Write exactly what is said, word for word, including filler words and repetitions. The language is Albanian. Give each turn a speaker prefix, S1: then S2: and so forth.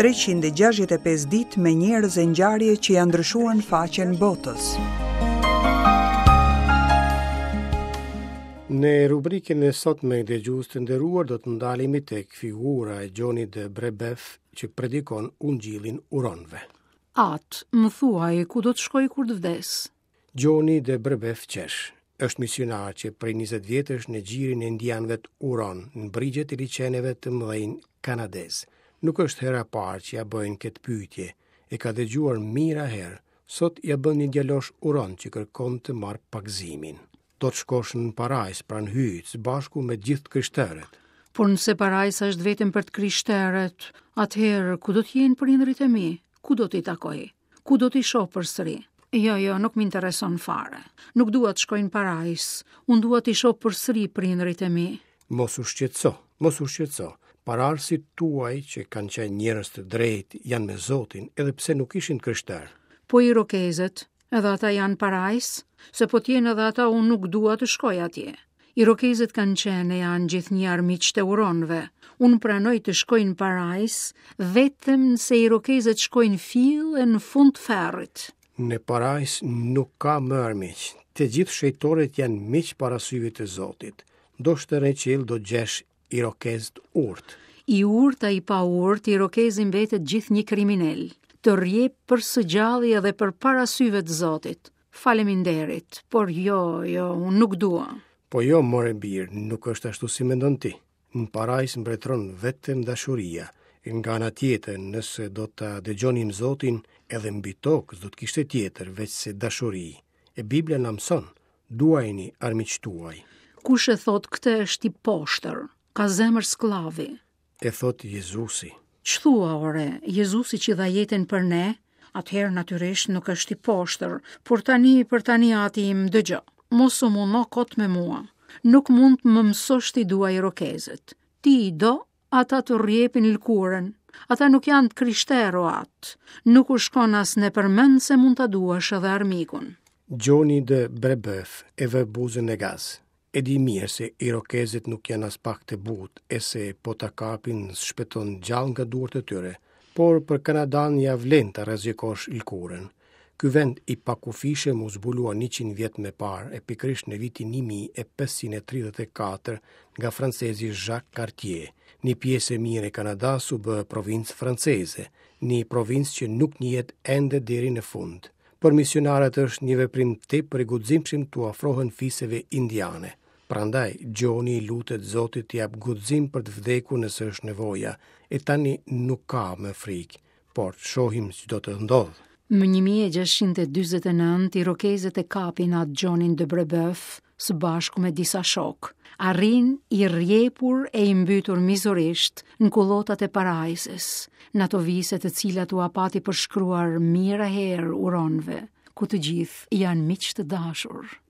S1: treqind e gjashtëdhjetë e pesë ditë me njerëz e ngjarje që janë ndryshuar në faqen botës.
S2: Në rubrikën e sotme dëgjues të nderuar do të ndalemi tek figura e Gjonit de Brebeuf që predikon ungjillin uronëve.
S3: Atë, më thuaj, ku do të shkoj kur të vdes?
S2: Gjoni de Brebeuf qesh. Është misionar që prej njëzet vjetësh në gjirin e indianëve të Uron, në brigjet e liqeneve të mëdhenj kanadez. Nuk është hera e parë që ja bëjnë këtë pyetje. E ka dëgjuar mijëra herë. Sot ja bën një djalosh Uron që kërkon të marrë pagëzimin. Do të shkosh në parajs pranë Hyjit së bashku me gjithë të krishterët.
S3: Por nëse parajsa është vetëm për të krishterët, atëherë ku do të jenë prindërit e mi? Ku do t'i takoj? Ku do t'i shoh përsëri? Jo, jo, nuk më intereson fare. Nuk dua të shkoj në parajs. Unë dua t'i shoh përsëri prindërit e mi.
S2: Mos u shqetëso, mos u shqetëso. Pararësit tuaj që kanë qenë njerëz të drejtë janë me Zotin, edhe pse nuk ishin të krishterë.
S3: Po irokezët, edhe ata janë parajs, se po t'jenë edhe ata unë nuk dua të shkoj atje. Irokezët kanë qenë e janë gjithnjë armiq të uronëve. Unë pranoj të shkoj në parajs vetëm nëse irokezët shkojnë fill e në fund të ferrit.
S2: Në parajs nuk ka më armiq. Të gjithë shejtorët janë miq para syve të Zotit. Ndoshta në qiell do gjesh irokez të urtë.
S3: I urtë a i pa urtë, irokezi mbetet gjithnjë kriminel. Të rjep për së gjalli edhe për para syve të Zotit. Faleminderit, por jo, jo, unë nuk dua.
S2: Po jo, more bir, nuk është ashtu si mendon ti. Në parajs mbretëron vetëm dashuria. Nga ana tjetër, nëse do ta dëgjonim Zotin, edhe mbi tokë s'do të kishte tjetër veç se dashuri. E Bibla na mëson, duajini armiqtë tuaj.
S3: Kush e thot këtë është i poshtër, ka zemër skllavi.
S2: E thot Jezusi.
S3: Ç'thua ore, Jezusi që dha jetën për ne, atëherë natyrisht nuk është i poshtër, por tani për tani ati im dëgjo. Mos u mundo kot me mua. Nuk mund të më mësosh ti dua irokezët. Ti i do, ata të rjepin lëkurën. Ata nuk janë të krishterë, o atë. Nuk u shkon as në përmend se mund ta duash edhe armikun.
S2: Gjoni de Brebeuf e vë buzën në gaz. E di mirë se irokezët nuk janë as pak të butë e se po ta kapin s'shpëton gjallë nga duart e tyre, por për Kanadan ja vlen ta rrezikosh lëkurën. Ky vend i pakufishëm u zbulua njëqind vjet më parë e pikërisht në vitin një mijë e pesëqind e tridhjetë e katër nga francezi Jacques Cartier. Një pjesë e mirë e Kanadas u bë provincë franceze, një provincë që nuk njihet ende deri në fund. Për misionarët është një veprim tepër i guximshëm t'u afrohen fiseve indiane. Prandaj Gjoni i lutet Zotit t'i jap guxim për të vdekur nëse është nevoja, e tani nuk ka më frikë, por shohim ç'do të ndodhë.
S3: Më një mijë e gjashtëqind e dyzet e nëntë, irokezët e kapin atë Gjonin de Brebeuf së bashku me disa shokë. Arrin i rjepur e i mbytur mizorisht në kullotat e parajsës, në ato vise të cilat u apati përshkruar mijëra herë uronëve, ku të gjithë janë miq të dashur.